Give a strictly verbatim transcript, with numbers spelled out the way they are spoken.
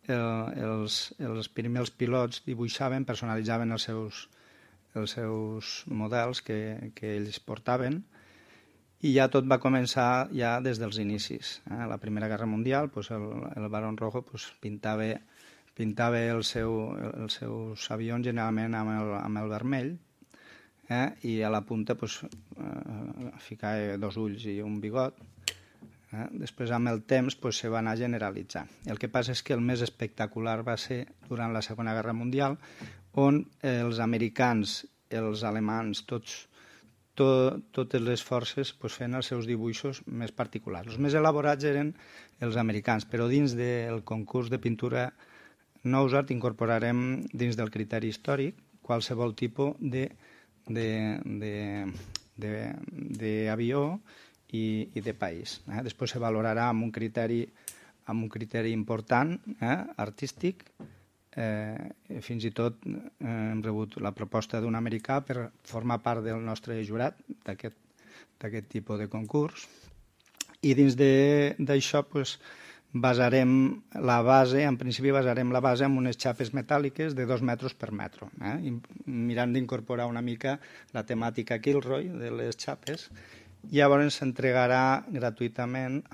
els, els primers pilots dibuixaven, personalitzaven els seus, els seus models que, que ells portaven, i ja tot va començar ja des dels inicis. Eh? A la Primera Guerra Mundial, pues el, el Barón Rojo pues, pintava, pintava el seu, els seus avions generalment amb el, amb el vermell, eh? I a la punta pues, eh, ficava dos ulls i un bigot. Eh? Després, amb el temps, pues, se va anar generalitzant. El que passa és que el més espectacular va ser durant la Segona Guerra Mundial, on els americans, els alemans, tots, to, totes les forces pues, feien els seus dibuixos més particulars. Els més elaborats eren els americans, però dins del concurs de pintura Nousart incorporarem dins del criteri històric qualsevol tipus de, de, de, de, d'avió i, i de país. Eh? Després se valorarà amb un criteri, amb un criteri important, eh? artístic. Eh, fins i tot eh, hem rebut la proposta d'un americà per formar part del nostre jurat d'aquest, d'aquest tipus de concurs. I dins d'això pues, basarem la base, en principi basarem la base amb unes xapes metàl·liques de dos metres per metro, eh? mirant d'incorporar una mica la temàtica Kilroy de les xapes. Llavors s'entregarà gratuïtament